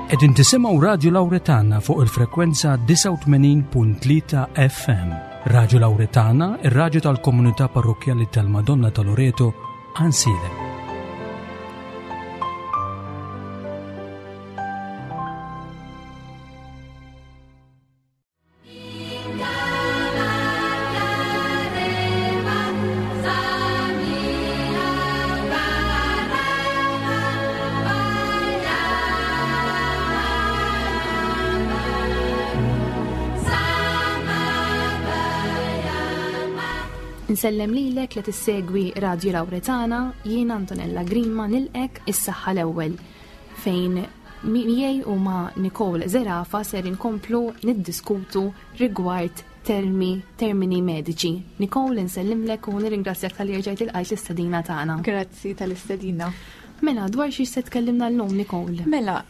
Qegħdin tisimgħu Radju Lawretana fuq il-frekwenza 89.3 FM. Radju Lawretana, ir-radju tal-komunità parrokkjali tal-Madonna ta' Loreto, Ansilem. Nsellem lilek li tissegwi Radio Lauretana, jiena Antonella Grima nilqek is-saħħa l-ewwel fejn miegħi u ma' Nicole Zerafa ser inkomplu niddiskutu rigward termi, termini mediċi. Nicole, nsellimlek u nirringrazzjak tal-li rġajt il-qajt l-istedina tagħna. Grazzi tal-istedina. Mela, dwar xi se tkellimna llum, Nicole? Mela,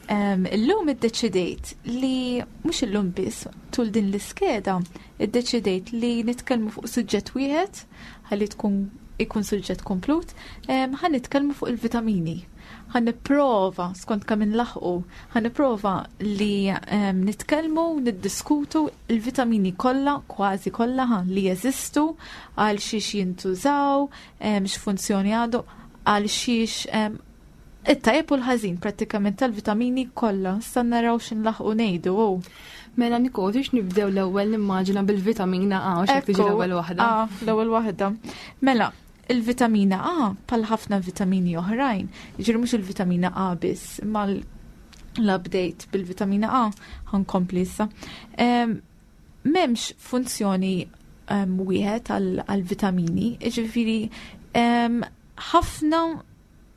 illum iddeċidejt li mhux illum biss tul din l-iskeda, iddeċidejt li nitkellmu fuq suġġett wieħed ħalli tkun ikun suġġett komplut, ħa nitkellmu fuq il-vitamini. Ħa nipprova, skont kemm inlaħqu, ħa nipprova li nitkellmu, niddiskutu il-vitamini kollha, kważi kollha li jeżistu, għal xiex jintużaw, x'funzjoni għandhom, għal xiex it-tajjeb u l-ħażin prattikament tal-vitamini kollha. Issa naraw x'inlaħqu ngħidu. Mela Nicole, biex nibdew l-ewwel nimmaġina bil-vitamina A, u x'hekk tiġi l-ewwel waħda. A, l-ewwel waħda. Mela, il-vitamina A bħal ħafna vitamini oħrajn, jiġri mhux il-vitamina A biss, imma l-update bil-vitamina A ħankompli issa. M'hemmx funzjoni wieħed għal-vitamini, jiġifieri ħafna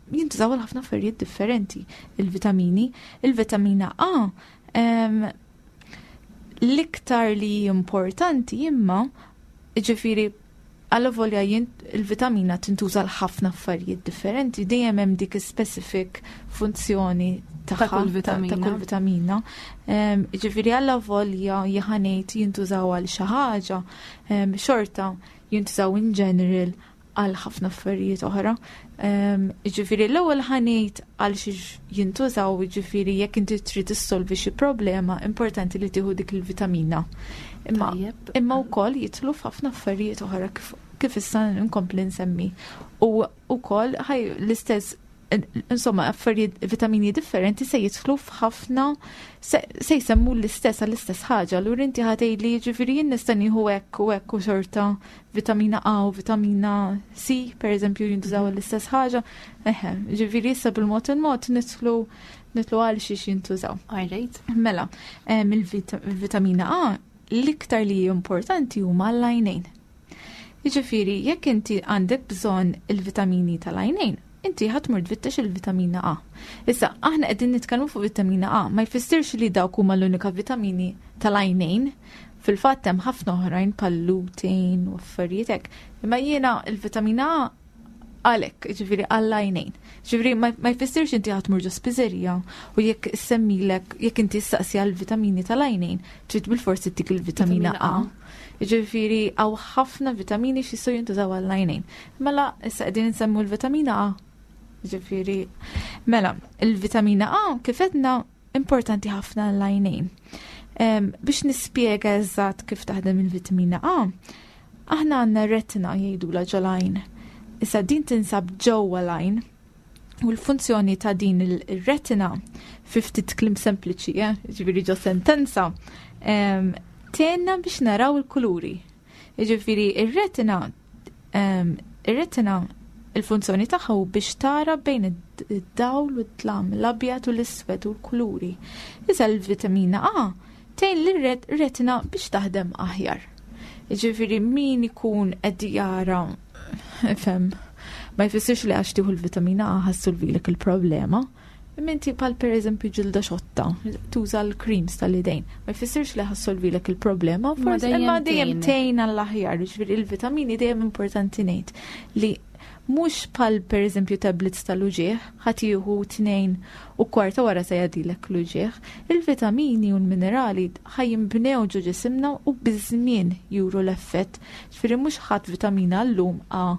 jintużaw għal ħafna affarijiet differenti il-vitamini. Il-vitamina A l-iktar li importanti imma ġifiri għalla volja il-vitamina tintuża l ħafna affarijiet differenti, dejjem hemm dik specific funzjoni ta' kull vitamina. Ta' kull vitamina. Ġifiri għalla volja jħanejt jintużaw għal xi ħaġa, xorta jintużaw in general għal ħafna affarijiet oħra. Ġifieri l-ewwel ħanejt għal xiex jintużaw, ġifieri jekk inti trid issolvi xi problema, importanti li tieħu dik il-vitamina. Imma imma wkoll jidħlu f'ħafna affarijiet oħra kif, kif issa nkompli nsemmi. U wkoll ħaj l-istess insomma, affarijiet vitamini differenti se jidħlu f'ħafna se jsemmu l-istess għall-istess ħaġa. Allura inti ħatej li ġifieri jien nista' nieħu hekk u hekk u xorta vitamina A u vitamina C, per eżempju, jintużaw mhm. l-istess ħaġa. Eħe, ġifieri issa bil-mod il-mod nidħlu nitlu għal xiex jintużaw. Alright. Mela, il-vitamina A l-iktar li importanti huma l-għajnejn. Jiġifieri, jekk inti għandek bżonn il-vitamini tal-għajnejn, inti ħa tmur tfittex il-vitamina A. Issa, aħna qegħdin nitkellmu fuq vitamina A, ma jfissirx li dawk huma l-unika vitamini tal-għajnejn. Fil-fatt hemm ħafna oħrajn bħal lutein u affarijiet hekk. Imma jiena il-vitamina A għalhekk, ġifieri għall-għajnejn. Ġifieri ma jfissirx inti ħa tmur ġo spiżerija u jekk semmilek, jekk inti staqsi għal vitamini tal-għajnejn, trid bil-forsi tik il-vitamina A. Ġifieri hawn ħafna vitamini x'jistgħu jintużaw għall-għajnejn. Mela issa qegħdin insemmu l-vitamina A. Ġifieri, mela, il-vitamina A kif għedna importanti ħafna għall-għajnejn. Biex nispjega eżatt kif taħdem il-vitamina A, aħna għandna retina jgħidula ġol-għajn. Issa din tinsab ġewwa l-għajn u l-funzjoni ta' din il-retina fi ftit kliem sempliċi, eh, ġifieri ġo sentenza, tgħinna biex naraw il-kuluri. Jiġifieri ir-retina ir-retina il-funzjoni tagħha hu biex tara bejn id-dawl u d-dlam, l-abjad u l-iswed u l-kuluri. Iżda l-vitamina A tgħin lir-retina biex taħdem aħjar. Jiġifieri min ikun qed jara fem ma jfissirx li għax tieħu l-vitamina A ħassulvilek il-problema. Imma inti bħal pereżempju ġilda xotta, tuża l-creams tal-idejn, ma jfissirx li ħassolvilek il-problema, forsi imma dejjem tgħin għall-aħjar, jiġifieri il-vitamini dejjem importanti ngħid li mhux bħal pereżempju tablets tal-uġigħ, ħadd jieħu tnejn u kwarta wara se jgħaddilek l-uġigħ. Il-vitamini u l-minerali ħa jinbnew ġo ġisimna u biż-żmien juru l-effett. Ġifieri mhux ħadd vitamina llum A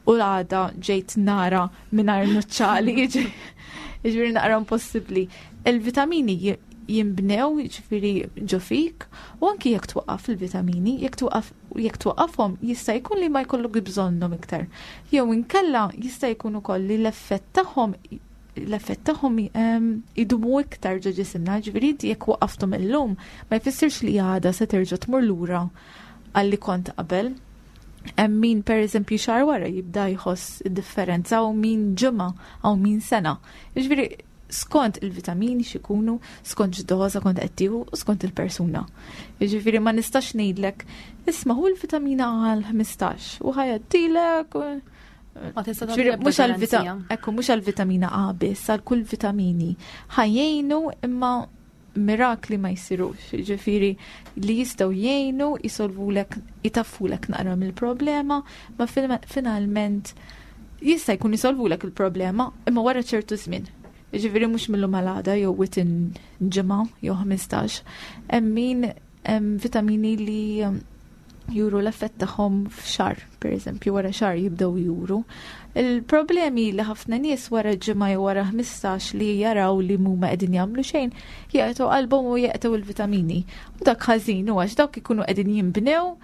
u l-għada ġejt nara mingħajr nuċċali. Jiġifieri naqra impossibbli. Il-vitamini jinbnew jiġifieri ġo fik u anki jekk twaqqaf il-vitamini, jekk twaqqaf jekk twaqqafhom jista' jkun li ma jkollok bżonnhom iktar. Jew inkella jista' jkun ukoll li l-effett tagħhom l-effett tagħhom ehm, idumu iktar ġo ġisimna, ġifieri inti jekk waqafthom illum ma jfissirx li għada se terġa' tmur lura għalli kont qabel. Hemm min pereżempju xahar wara jibda jħoss id-differenza u min ġimgħa u min sena. Jiġifieri skont il-vitamini x'ikunu, skont x'doża kont qed tieħu u skont il-persuna. Jiġifieri ma nistax ngħidlek isma' hu l-vitamina għal 15 u ħajadtilek Ma tista' mhux għal ekku mhux għal-vitamina A biss, għal kull vitamini. Ħajjejnu imma mirakli ma jsirux, ġifiri li jistgħu jgħinu jisolvulek, jitaffulek naqra mill-problema, ma finalment jista' jkun jisolvulek il-problema imma wara ċertu żmien. Ġifiri mhux mill-lum għal jew within ġimgħa jew 15. Hemm min hemm vitamini li um, juru l-effett tagħhom f'xar, per eżempju, wara xar jibdew juru. Il-problemi li ħafna nies wara ġimgħa jew wara 15 li jaraw li mhuma qegħdin jagħmlu xejn, jaqtgħu qalbhom u jaqtgħu il-vitamini. U dak ħażin u għax dawk ikunu qegħdin jinbnew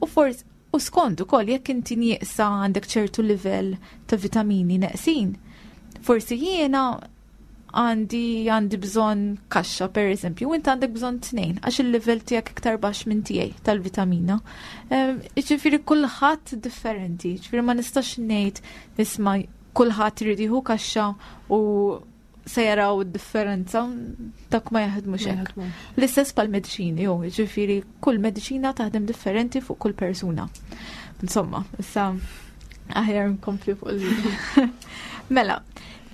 u forsi u skont ukoll jekk inti nieqsa għandek ċertu livell ta' vitamini neqsin. Forsi jiena għandi għandi bżonn kaxxa per eżempju, u inti għandek bżonn tnejn għax il-livell tiegħek iktar baxx minn tiegħi tal-vitamina. Ehm, ġifieri kulħadd differenti, ġifieri ma nistax ngħid isma' kulħadd irid jieħu kaxxa u se jaraw id-differenza dak ma jaħdmux hekk. L-istess pal mediċini, jew ġifieri kull mediċina taħdem differenti fuq kull persuna. Insomma, issa aħjar nkompli fuq il Mela,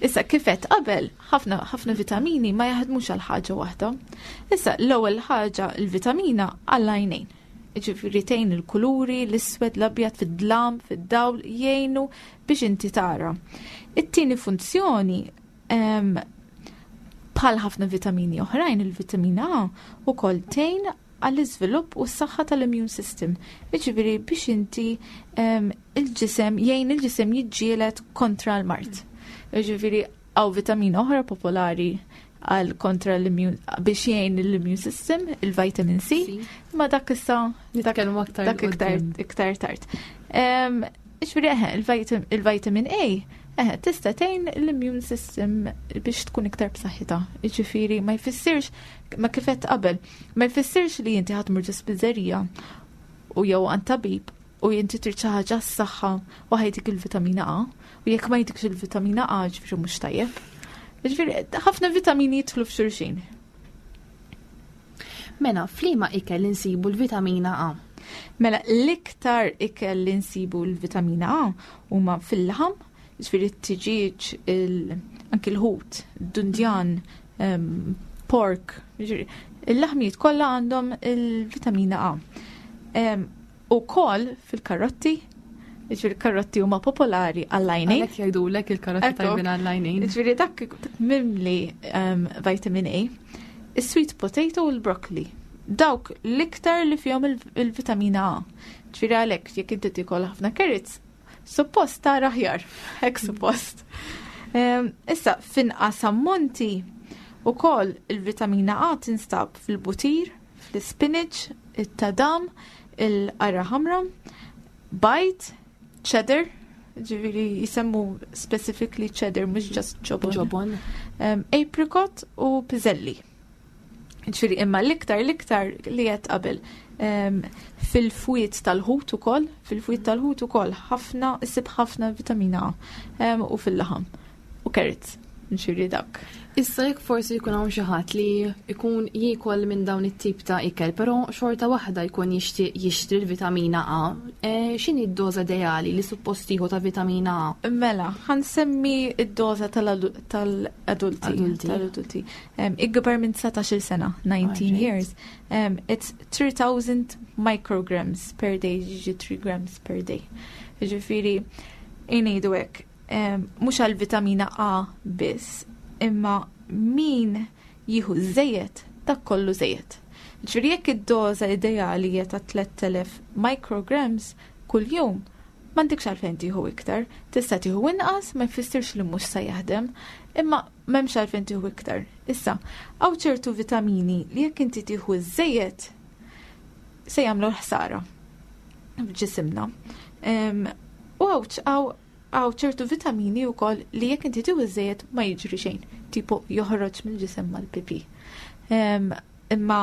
issa kifet qabel ħafna ħafna vitamini ma jaħdmux għal ħaġa waħda. Issa l-ewwel ħaġa l-vitamina għall-għajnejn. Ġifieri tgħin il-kuluri, l-iswed, l-abjad fid-dlam, fid-dawl jgħinu biex inti tara. It-tieni funzjoni bħal ħafna vitamini oħrajn, il-vitamina A ukoll tgħin għall-iżvilupp u s-saħħa tal-immune system. Jiġifieri biex inti il-ġisem jgħin il-ġisem jiġġieled kontra l-mard. Jiġifieri hawn vitamina oħra popolari għal kontra l-immune biex jgħin l-immune system, il-vitamin C, ma dak issa nitkellmu aktar dak iktar iktar tard. Ġifieri eħe, il-vitamin A eħe, tista' tgħin l-immune system biex tkun iktar b'saħħitha. Jiġifieri ma jfissirx ma kif għedt qabel, ma jfissirx li inti ħadd mur spiżerija u jew għand tabib u inti trid xi ħaġa s-saħħa u ħajtik il-vitamina A u jekk ma jtikx il-vitamina A ġifieri mhux tajjeb. Ġifieri ħafna vitamini jidħlu f'xulxin. Mela, f'liema ikel insibu l-vitamina A? Mela, l-iktar ikel li nsibu l-vitamina A huma fil-laħam, ġifieri t-tiġieġ, anki l-ħut, dundjan, pork, il-laħmijiet kollha għandhom il-vitamina A. U kol fil-karotti, ġifieri karotti huma popolari għall-għajnejn. Għalhekk jgħidulek il-karotti tajbin għall-għajnejn. Ġifieri dak mimli vitamin A. Is-sweet potato u l-broccoli. Dawk l-iktar li fihom il-vitamina A. Ġifieri għalhekk jekk inti tikol ħafna carrots, Suppost tara aħjar, hekk suppost. Ehm, issa, finqas ammonti ukoll il-vitamina A tinstab fil-butir, fl-spinach, it-tadam, il-qara ħamra, bajt, cheddar, ġiviri jisemmu specifically cheddar, mux just ġobon. Ġobon. Um, apricot u piżelli. Ġifieri imma l-iktar l-iktar li qed qabel fil-fwiet tal-ħut ukoll, fil-fwiet tal-ħut ukoll ħafna issib ħafna vitamina A u fil-laħam u carrots. Ġifieri dak. Issa jekk forsi jkun hawn xi ħadd li jkun jiekol minn dawn it-tip ta' ikel, però xorta waħda jkun jixtieq jixtri l-vitamina A, e, x'inhi d-doża ideali li suppost jieħu ta' vitamina A? Mela, ħansemmi d-doża tal-adulti. Tal-adulti. Ikbar minn 19 sena, 19 years, it's 3000 micrograms per day, ġiġi 3 grams per day. Ġifiri, inejdu hekk, mhux għal vitamina A biss, imma min jieħu żejjed, dak kollu żejjed. Ġifieri jekk id-doża ideali hija ta' 3000 micrograms kuljum, M'għandekx għalfejn tieħu iktar, tista' tieħu inqas ma jfissirx li mhux se jaħdem, imma m'hemmx għalfejn tieħu iktar. Issa, hawn ċertu vitamini li jekk inti tieħu żejjed se jagħmlu l-ħsara f'ġisimna. U hawn ċertu vitamini wkoll li jekk inti tieħu żejjed ma jiġri xejn, tipo joħroġ mill-ġisem mal-pipi. Imma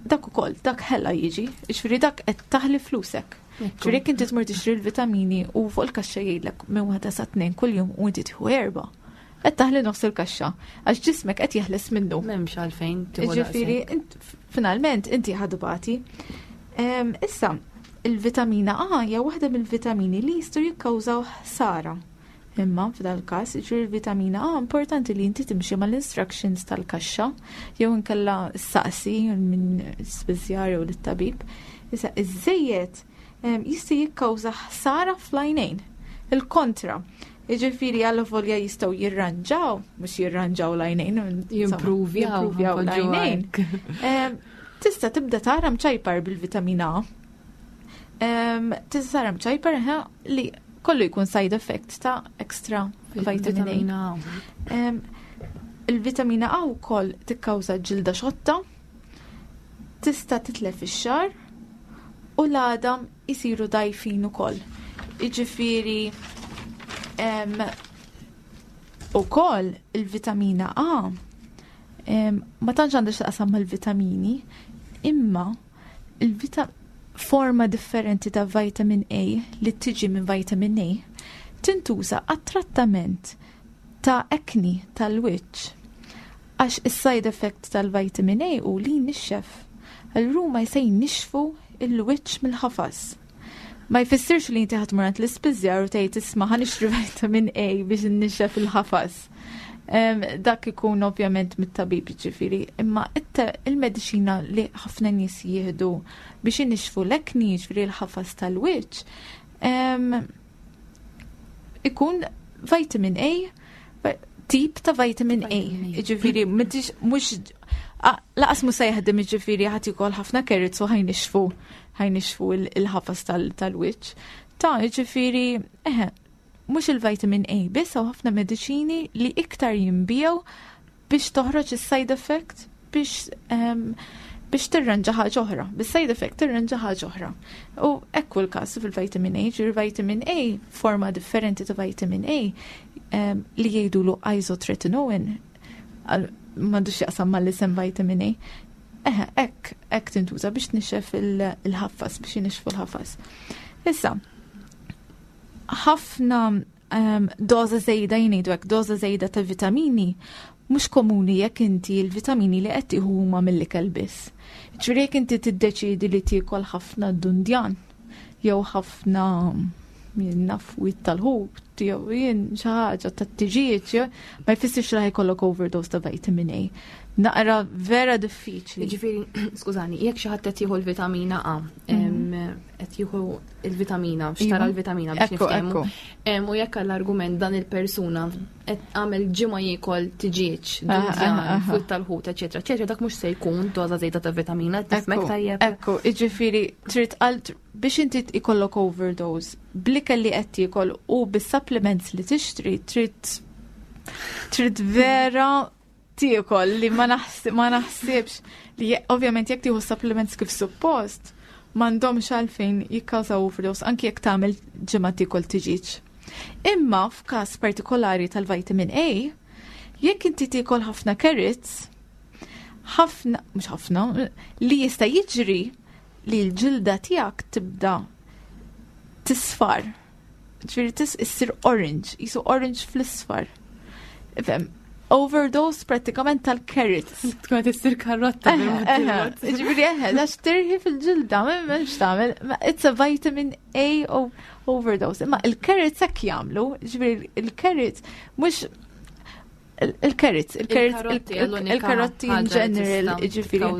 dak ukoll, dak ħela jiġi, jiġifieri dak qed taħli flusek. Ġifieri jekk inti tmur tixtri l-vitamini u fuq il-kaxxa jgħidlek minn waħda sa tnejn kuljum u inti tieħu erba'. Qed taħli nofs il-kaxxa għax ġismek qed jeħles minnu. M'hemmx għalfejn tieħu Ġifieri finalment inti ħadbati. Issa, il-vitamina A hija waħda mill-vitamini li jistgħu jikkawżaw ħsara. Imma f'dal każ, jiġifieri l-vitamina A importanti li inti timxi mal-instructions tal-kaxxa jew inkella saqsi minn spiżjar jew lit-tabib. Issa iż-żejjed jista' jikkawża ħsara fl-għajnejn. Il-kontra. Jiġifieri għal volja jistgħu jirranġaw, mhux jirranġaw l-għajnejn, jimprovjaw l-għajnejn. Tista' tibda tara mċajpar bil-vitamina A. Tista' tara mċajpar li kollu jkun side effect ta' extra vitamin A. Il-vitamina A wkoll tikkawża ġilda xotta, tista' titlef ix-xagħar u l-għadam isiru dajfin ukoll. Jiġifieri ukoll il-vitamina A ma tantx għandha x'taqsam mal-vitamini, imma il-vita forma differenti ta' vitamin A li tiġi minn vitamin A tintuża għat-trattament ta' acne tal-wiċċ. Għax is-side effect tal-vitamin A hu li jnixxef. Allura huma se jnixxfu l-wiċċ mill-ħafas. Ma jfissirx li inti ħa tmur għand l-ispiżjar u tgħid isma' ħa nixtri vitamin A biex innixxef il-ħafas. Dak ikun ovvjament mit-tabib ġifieri, imma il-mediċina li ħafna nies jieħdu biex inixxfu l-acne, ġifieri l-ħafas tal-wiċċ, ikun vitamin A, tip ta' vitamin A. Ġifieri, mhux laqas mhux se jaħdem ġifieri ħadd jikol ħafna carrots u ħajnixfu ħajnixfu il-ħafas tal-wiċċ. Ta' ġifieri, eħe, mhux il-vitamin A biss hawn ħafna mediċini li iktar jinbiegħu biex toħroġ is-side effect biex biex tirranġa ħaġa oħra. Bis-side effect tirranġa ħaġa oħra. U ekku l-każ fil-vitamin A, ġifieri vitamin A, forma differenti ta' vitamin A li jgħidulu isotretinoin, m'għandux jaqsam mal-isem vitamin A. Eħe, hekk, hekk tintuża biex tnixxef il-ħafas, biex jinixfu l-ħafas. Issa, ħafna doża żejda jgħidu hekk, doża żejda ta' vitamini mhux komuni jekk inti l-vitamini li qed tieħu huma mill-ikel biss. Ġifieri jekk inti tiddeċiedi li tiekol ħafna dundjan jew ħafna jien naf wit tal-ħut jew jien xi ħaġa tat-tiġieġ, ma jfissirx li ħajkollok overdose ta' vitamin A. Naqra vera diffiċli. Ġifieri, skużani, jekk xi ħadd qed jieħu l-vitamina A, qed jieħu il-vitamina, xtara iva. l-vitamina biex niftehmu. U jekk għall-argument dan il-persuna qed għamel ġimgħa jiekol tiġieġ, dundjan, frut tal-ħut, eċetera, eċetera, dak mhux se jkun doża żejda ta' vitamina, tifmek tajjeb. Ekku, jiġifieri trid biex inti ikollok overdose, bl-ikel li qed tiekol u bis-supplements li tixtri trid trid vera tiekol li ma naħsibx li ovvjament jekk tieħu supplements kif suppost m'għandhomx għalfejn jikkawżaw overdose anki jekk tagħmel ġimgħa tiekol tiġiġ. Imma f'każ partikolari tal-vitamin A, jekk inti tiekol ħafna carrots, ħafna, mhux ħafna, li jista' jiġri li l-ġilda tiegħek tibda tisfar. Ġifieri tis issir orange, jisu orange fl-isfar. Ifhem, overdose pratikament tal-carrots. Tkun qed issir karrotta. Ġifieri eħe, għax tirħi fil-ġilda, m'hemmx tagħmel. It's a vitamin A overdose. Imma il-carrots hekk jagħmlu, ġifieri il-carrots mhux il-carrots, il-carrots, il-karotti in general, ġifieri.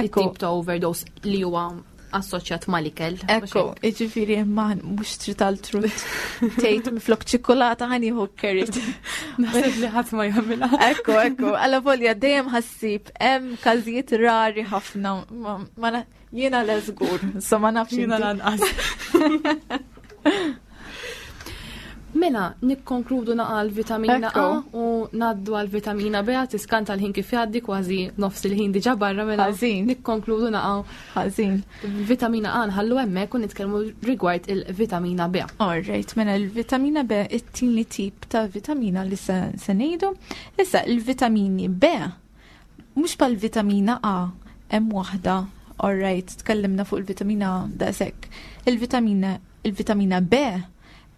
Ekku. Tip ta' overdose li huwa assoċjat mal-ikel. Ekku, ġifieri ma mhux trid għal-trut. Tgħid minflok ċikkulata ħa nieħu carrot. Naħseb li ħadd ma jagħmilha. Ekku, ekku, alla volja dejjem ħassib hemm każijiet rari ħafna. Jiena le żgur, so ma nafx. Jiena lanqas. Mela, nikkonkludu naqa l-vitamina A u naddu għal-vitamina B, tiskanta l-ħin kif jgħaddi kważi nofs il-ħin diġa barra mela. Ħażin. Nikkonkludu naqa. Ħażin. Vitamina A nħallu hemmhekk u nitkellmu rigward il-vitamina B. All right, mela l-vitamina B it-tieni tip ta' vitamina li se ngħidu. Issa il-vitamini B mhux pal vitamina A hemm waħda, all right, tkellimna fuq il-vitamina A daqshekk. Il-vitamina il-vitamina B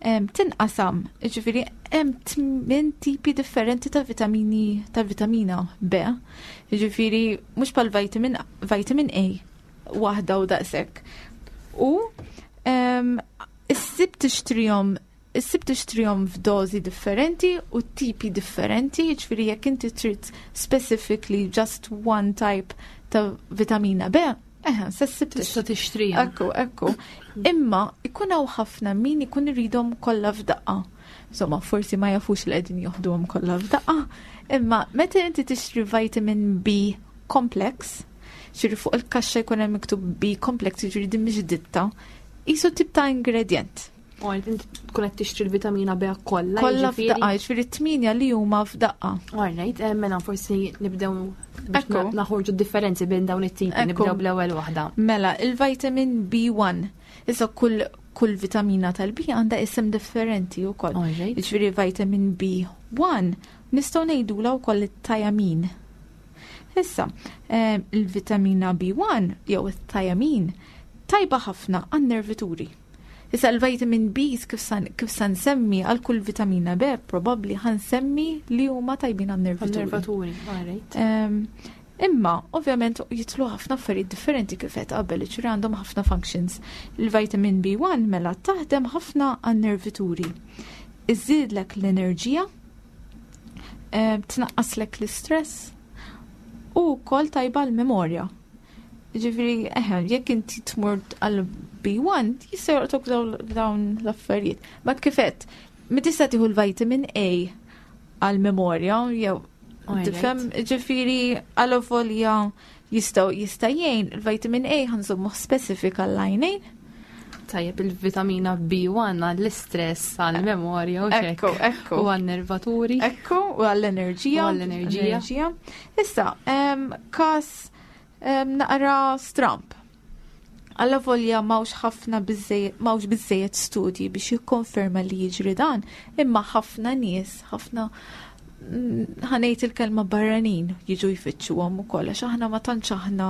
tinqasam, ġifiri hemm tmien tipi differenti ta' vitamini ta' vitamina B. Ġifiri mhux pal vitamin vitamin A waħda u daqshekk. U issib tixtrihom issib tixtrihom f'dożi differenti u tipi differenti, ġifiri jekk inti trid specifically just one type ta' vitamina B, Eħe, se ssib tista' tixtriha. Ekku, ekku. Imma ikun hawn ħafna min ikun iridhom kollha f'daqqa. Insomma, forsi ma jafux li qegħdin joħduhom kollha f'daqqa. Imma meta inti tixtri vitamin B complex, ġifieri fuq il-kaxxa jkun hemm miktub B complex, jiġifieri din mhix ditta, qisu tip ta' ingredient. U għalt inti tkun qed tixtri l-vitamina B kollha. Kollha f'daqqa, jiġifieri t-tminja li huma f'daqqa. All right, eh, mela forsi nibdew biex naħorġu differenzi bejn dawn it-tipi, nibdew bl-ewwel waħda. Mela, il-vitamin B1. Issa kull kull vitamina tal-B għandha isem differenti wkoll. Jiġifieri vitamin B1 nistgħu ngħidulha wkoll it-tajamin. Issa, eh, il-vitamina B1 jew it-tajamin tajba ħafna għan-nervituri. Issa l-vitamin B kif sa nsemmi għal kull vitamina B probabbli ħa nsemmi li huma tajbin għan-nervaturi. Nervaturi, alright. Imma, ovvjament, jitlu ħafna affarijiet differenti kif qed qabel, ġifieri għandhom ħafna functions. Il-vitamin B1 mela taħdem ħafna għan-nervituri. Iżidlek l-enerġija, tnaqqaslek l-istress u wkoll tajba l-memorja. Ġifieri, eħe, jekk inti tmur għal B1, jista' jolqtok dawn l-affarijiet. Ma kifet, mi tista' tieħu l-vitamin A għal memorja jew tifhem, ġifieri għal jistgħu jista' jgħin il-vitamin A ħa nżommu specifik għall-għajnejn. Tajjeb il-vitamina B1 għall-istress, għall-memorja u Ekku, ekku. U għall-nervaturi. Ekku, u għall-enerġija. U għall-enerġija. Issa, kas naqra stramp. Alla volja m'hawnx ħafna m'hawnx biżżejjed studji biex jikkonferma li jiġri dan, imma ħafna nies, ħafna ħa ngħid il-kelma barranin jiġu jfittxuhom ukoll għax aħna ma tantx aħna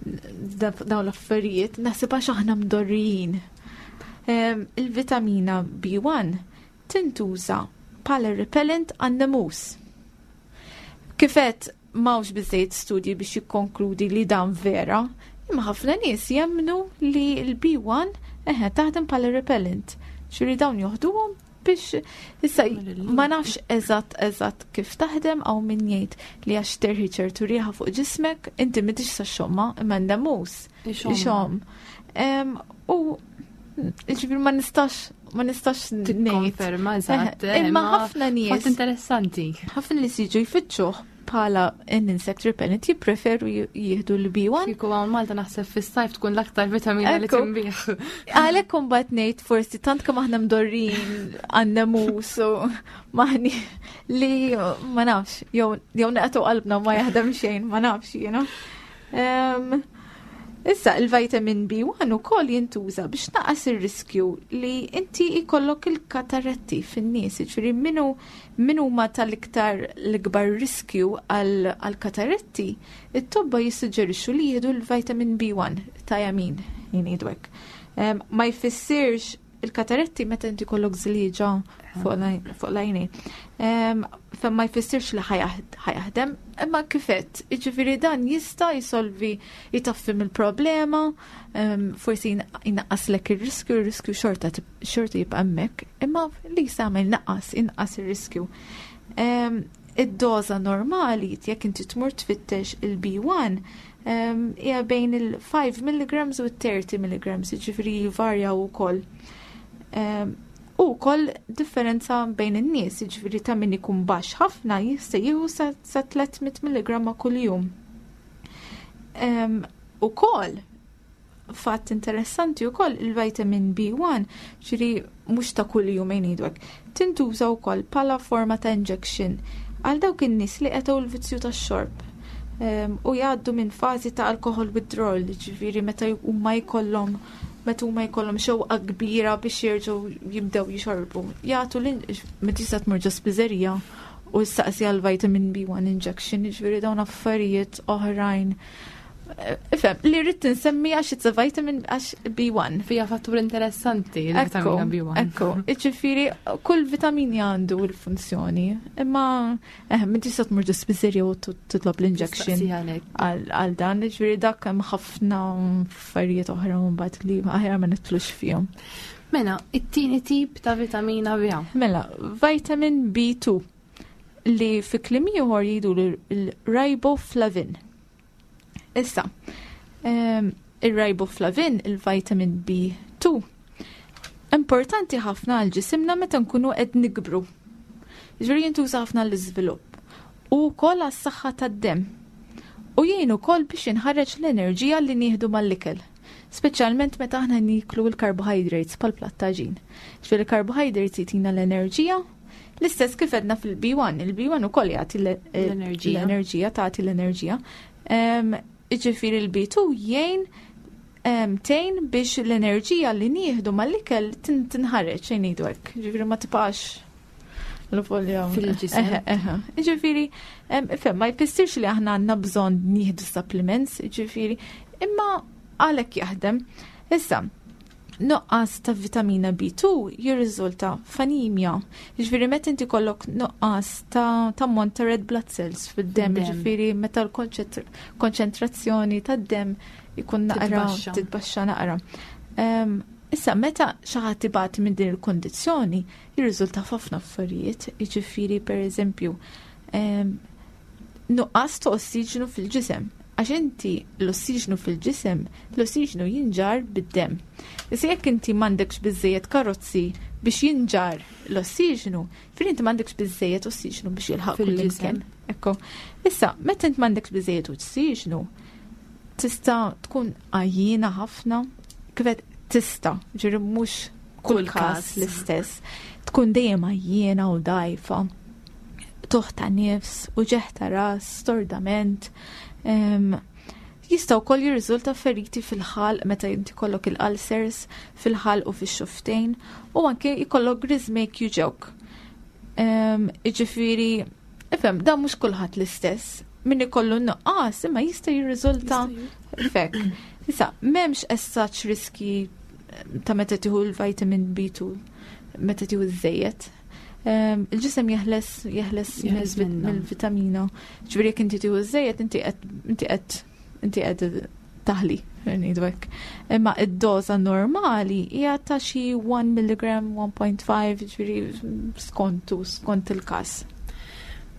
dawn l-affarijiet, naħseb għax aħna mdorrijin. Il-vitamina B1 tintuża bħala repellent għan-nemus. Kifet m'hawnx biżżejjed studji biex jikkonkludi li dan vera, imma ħafna nies jemmnu li l-B1 eħe taħdem bħala repellent. Ġifieri dawn joħduhom biex issa ma nafx eżatt eżatt kif taħdem għaw min jgħid li għax terħi ċertu riħa fuq ġismek, inti m'intix sa xomma imma nemus. Ixomm. U ġifieri ma nistax ngħid. Tikkonferma eżatt. Imma ħafna nies. Fatt interessanti. Ħafna nies jiġu jfittxuh bħala an insect repellent jippreferu jieħdu l-B1. Kieku hawn Malta naħseb fis-sajf tkun l-aktar vitamina li tinbiegħ. Għalhekk imbagħad ngħid forsi tant kemm aħna mdorrin għan-nemus u maħni li ma nafx, jew naqtu qalbna ma jaħdem xejn, ma nafx jiena. Issa, il-vitamin B1 ukoll jintuża biex naqqas ir-riskju li inti jkollok il-kataretti fin-nies, ġifieri min huma tal-iktar l-ikbar riskju għal-kataretti, it-tobba jissuġġerixxu li jieħdu l-vitamin B1, thiamine, jgħidu hekk. Ma jfissirx il-kataretti meta inti kollok żlieġa fuq l-għajnejn. Fa ma jfissirx li ħa jaħdem, imma kifet, ġifieri dan jista' jisolvi jitaffi mill-problema, forsi jnaqqaslek ir-riskju, ir-riskju xorta xorta jibqa' hemmhekk, imma li jista' jagħmel naqqas, inqas ir-riskju. Id-doża normali jekk inti tmur tfittex il-B1 hija bejn il-5 mg u 30 mg, ġifieri jvarjaw ukoll. U wkoll differenza bejn in-nies, ġifieri ta' min ikun baxx ħafna jista' jieħu sa 300 mg kuljum. Ukoll Fatt interessanti wkoll il-vitamin B1, ġifieri mhux ta' kull jum ngħidu hekk, tintuża wkoll bħala forma ta' injection għal dawk in-nies li qetgħu l-vizzju tax-xorb u jgħaddu minn fażi ta' alcohol withdrawal, ġifieri meta huma jkollhom xewqa kbira biex jerġgħu jibdew jixorbu. Jagħtu meta tista' tmur ġo spiżerija u staqsi għal vitamin B1 injection, ġifieri dawn affarijiet oħrajn. Ifhem, li rrid insemmi għax it's a vitamin għax B1. Fija fattur interessanti il-vitamina B1. Ekku, ġifieri kull vitamini għandu l-funzjoni, imma min tista' tmur ġo spiżerija u titlob l-injection għal dan, ġifieri dak hemm ħafna affarijiet oħra mbagħad li aħjar ma nidħlux fihom. Mela, it-tieni tip ta' vitamina B. Mela, vitamin B2 li fi kliem ieħor jgħidu l-riboflavin. Issa, il-riboflavin, il-vitamin B2, importanti ħafna għal ġisimna meta nkunu qed nikbru. Ġifieri jintuża ħafna l-iżvilupp u wkoll għas-saħħa tad-demm. U jgħin ukoll biex jinħareġ l-enerġija li nieħdu mal-ikel. Speċjalment meta aħna niklu l-carbohydrates bħal platt għaġin. Ġifieri il-carbohydrates jtina l-enerġija. L-istess kif għedna fil-B1, il-B1 ukoll jagħti l-enerġija. L-enerġija tagħti l-enerġija. Ġifieri l-B2 jgħin tgħin biex l-enerġija li nieħdu mal-ikel tinħareġ xejn ngħidu hekk. Ġifieri ma tibqax l-folja. Fil-ġisem. Eħe. Ġifieri, ifhem, ma jfissirx li aħna għandna bżonn nieħdu supplements, ġifieri, imma għalhekk jaħdem. Issa, nuqqas ta' vitamina B2 jirriżulta f'anemja. Ġifieri meta inti kollok nuqqas ta' ammont ta' red blood cells fid-dem, ġifieri meta l-konċentrazzjoni tad-dem ikun naqra titbaxxa naqra. Issa, meta xi ħadd ibati minn din il-kondizzjoni, jirriżulta f'ħafna affarijiet, jiġifieri per eżempju, nuqqas ta' ossiġnu fil-ġisem. Għax inti l-ossiġnu fil-ġisem, l-ossiġnu jinġar bid-dem. Issa jekk inti m'għandekx biżejjed karozzi biex jinġar l-ossiġnu, fil inti m'għandekx biżejjed ossiġnu biex jilħaq fil-ġisem. Ekku. Issa, meta inti m'għandekx biżejjed ossiġnu, tista' tkun għajjiena ħafna, kif tista', ġifieri mhux kull każ l-istess, tkun dejjem għajjiena u dajfa, toħta nifs, uġigħ ta' ras, stordament. Jista' wkoll jirriżulta feriti fil-ħalq meta inti kollok il-ulcers fil-ħalq u fix-xufftejn u anke jkollok griżmejk juġgħuk. Jiġifieri, ifhem, dan mhux kulħadd l-istess. Min ikollu nuqqas imma jista' jirriżulta f'hekk. Issa, m'hemmx as such riski ta' meta tieħu l-vitamin B2, meta tieħu żejjed. Il-ġisem jeħles mill-vitamina. Ġifieri jekk inti tieħu żejjed, inti qed taħli, ngħidu hekk. Imma id-doża normali hija ta' xi 1 mg, 1.5, ġifieri skont il-każ.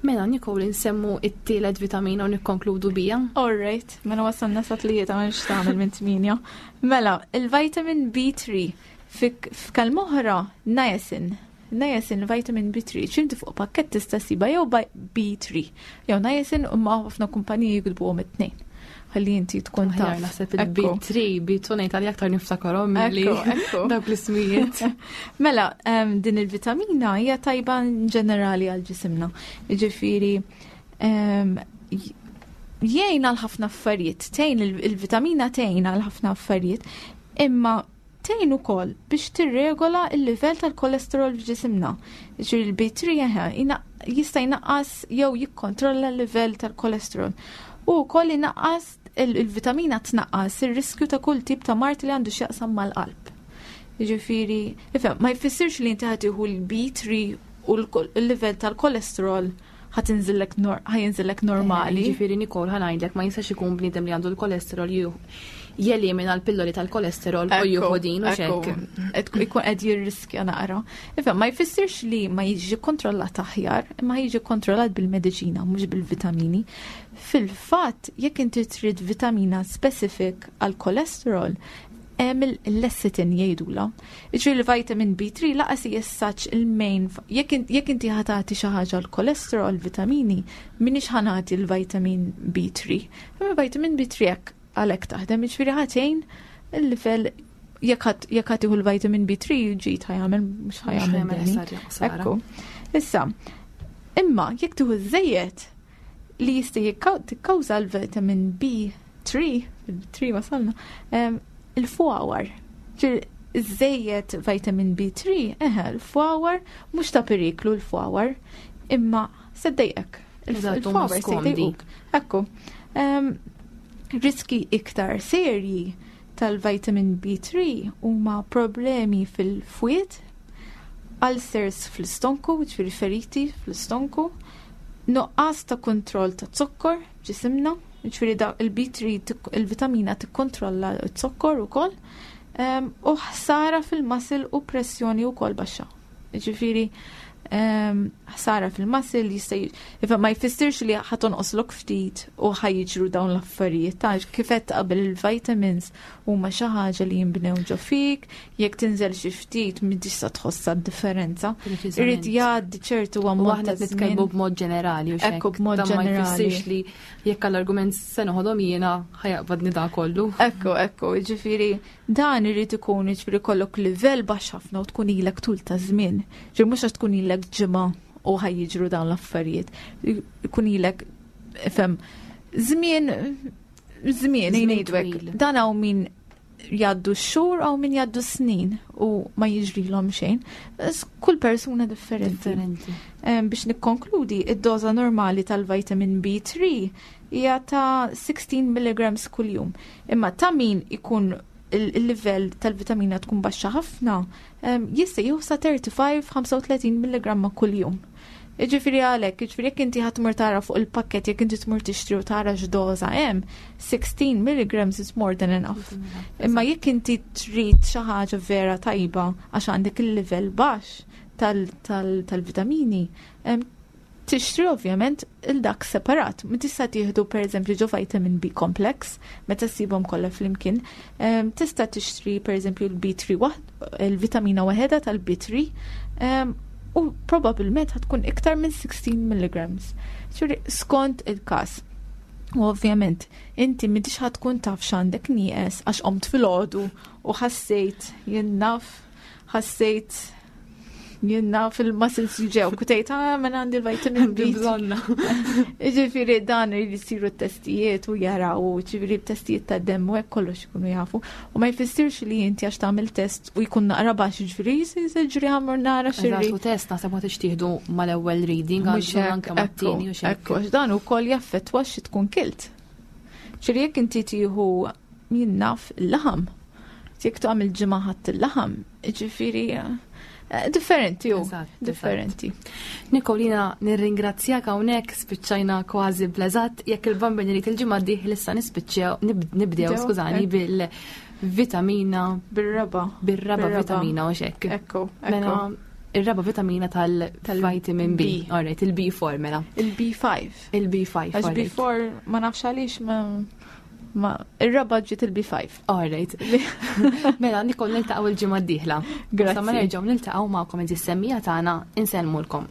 Mela, Nicole, nsemmu it-tielet vitamina u nikkonkludu bija. All right, mela wasalna sa tlieta, ma nix tagħmel minn tmienja. Mela, il-vitamin B3 f'kelma oħra niacin. Niacin, vitamin B3, ċinti fuq pakket tista' ssibha jew B3, jew niacin, u ma ħafna kumpaniji jiktbuhom it-tnejn. Ħalli inti tkun taf. Naħseb il-B3, B2 ngħid għalli aktar niftakarhom milli dawk l-ismijiet. Mela, din il-vitamina hija tajba ġenerali għal ġisimna. Jiġifieri jgħin għal ħafna affarijiet, tgħin il-vitamina tgħin għal ħafna affarijiet, imma tgħin ukoll biex tirregola il-livell tal-kolesterol f'ġisimna. Ġifieri il-B3 jista' jnaqqas jew jikkontrolla l-livell tal-kolesterol. U wkoll inaqqas il-vitamina tnaqqas ir-riskju ta' kull tip ta' mard li għandu x'jaqsam mal-qalb. Jiġifieri, ifhem, ma jfissirx li inti ħa tieħu l-B3 u l-livell tal-kolesterol ħa jinżillek normali. Ġifieri Nicole, ħa ngħidlek, ma jistax ikun bniedem li għandu l-kolesterol jelimina l-pilloli tal-kolesterol u jieħu din u xek. Ikun qed jirriskja naqra. Ifhem, ma jfissirx li ma jiġi kontrollat aħjar, imma jiġi kontrollat bil-mediċina, mhux bil-vitamini. Fil-fatt, jekk inti trid vitamina specific għal kolesterol, hemm il-lecithin jgħidula. Ġifieri l-vitamin B3 lanqas jessaċ il-main, jekk inti ħa tagħti xi ħaġa l-kolesterol vitamini, minix ħa nagħti l-vitamin B3. Imma vitamin B3 hekk għalhekk taħdem, ġifieri ħa tgħin Il-livell jekk ħa tieħu l-vitamin B3 ġid ħa jagħmel, mhux ħa jagħmel. Ekku. Issa, imma jekk tieħu żejjed li jista' tikkawża l-vitamin B3, il-3 wasalna, il-fwawar. Żejjed vitamin B3, eħe, l-fwawar mhux ta' periklu l-fwawar, imma se ddejqek. Il-fwawar se jdejquk. Ekku. Riski iktar serji tal-vitamin B3 huma problemi fil-fwied, ulcers fl-istonku, ġifieri feriti fl-istonku, nuqqas ta' kontroll ta' zokkor ġisimna, ġifieri da il-B3, il-vitamina tikkontrolla z-zokkor ukoll, u ħsara fil-muscle u pressjoni wkoll baxxa. Ġifieri ħsara fil-muscle jista' ma jfissirx li ħa tonqoslok ftit u ħa jiġru dawn l-affarijiet. Ta' kif għedt qabel, il-vitamins huma xi ħaġa li jinbnew ġo fik, jekk tinżel xi ftit m'intix sa tħossa d-differenza. Irid jgħaddi ċertu U ammont aħna ta' nitkellmu żmien. B'mod ġenerali u Ekku, b'mod Dan ma ġenerali. jfissirx li jekk għall-argument se noħodhom jiena ħa jaqbadni da kollu. Ekku, ġifieri, dan irid ikun, ġifieri, kollok livell baxx ħafna u tkun ilek tul ta' żmien. Ġifieri mhux għax tkun ilek ġimgħa u ħa jiġru dawn l-affarijiet. Ikun ilek, fem, żmien, żmien, Żmien ngħidu hekk. twil. Dan hawn min jgħaddu xhur, hawn min jgħaddu snin u ma jiġrilhom xejn. Kull persuna differenti. Differenti. Biex nikkonkludi, id-doża normali tal-vitamin B3 hija ta' 16 mg kuljum. Imma ta' min ikun il-livell tal-vitamina tkun baxxa ħafna, jista' jieħu sa 35-35 mg kuljum. Ġifieri għalhekk, ġifieri jekk inti ħa tmur tara fuq il-pakket, jekk inti tmur tixtri u tara x'doża hemm, 16 mg is more than enough. Imma jekk inti trid xi ħaġa vera tajba għax għandek il-livell baxx tal-vitamini, tixtri ovvjament il-dak separat. Ma tista' tieħdu, pereżempju, ġo vitamin B complex, meta ssibhom kollha flimkien. Tista' tixtri, pereżempju, il-B3 il-vitamina waħedha tal-B3 u probabbilment ħa tkun iktar minn 16 mg. Ġifieri skont il-każ. U ovvjament, inti m'intix ħa tkun taf x'għandek nieqes għax qomt filgħodu u ħassejt, jien naf, ħassejt, jien naf, il-muscles ġew, kutejt, "Ah, man, għandi l-vitamin B." Bżonna. Ġifieri dan jisiru t-testijiet u jaraw, ġifieri testijiet ta' dem u hekk kollox ikunu jafu. U ma jfissirx li inti għax tagħmel test u jkun naqra baxx, ġifieri ġri ħa mmur nara Eżatt, xirri. u test naħseb ma tixtieħdu mal-ewwel reading, Mhux għandu hekk, anke mat-tieni u xek. Ekku, għax dan ukoll jaffettwa xi tkun kilt. Ġifieri jekk inti tieħu, jien naf, il-laħam, jekk tagħmel ġimgħa ħadd il-laħam, ġifieri differenti u differenti. Nikolina, nirringrazzjak hawnhekk, spiċċajna kważi bl-eżatt, jekk il-Bambin irid, il-ġimgħa d-dieħla issa nispiċċew nibdew, Nibdew, skużani, bil-vitamina Bir-raba. Bir-raba Bir-raba. vitamina u xek. Ekku, Mela ekku. Ir-raba vitamina tal-vitamin B. B. Alright, il-B4 mela. Il-B5. Il-B5. Għax Alright. B4 ma nafx għaliex ma ir-raba ġiet il-B5. Alright. Mela, Nikol, niltaqgħu il-ġimgħa d-dieħla. Grazzi. Sa ma nerġgħu niltaqgħu magħkom, is-semmiegħa tagħna, insellmulkom.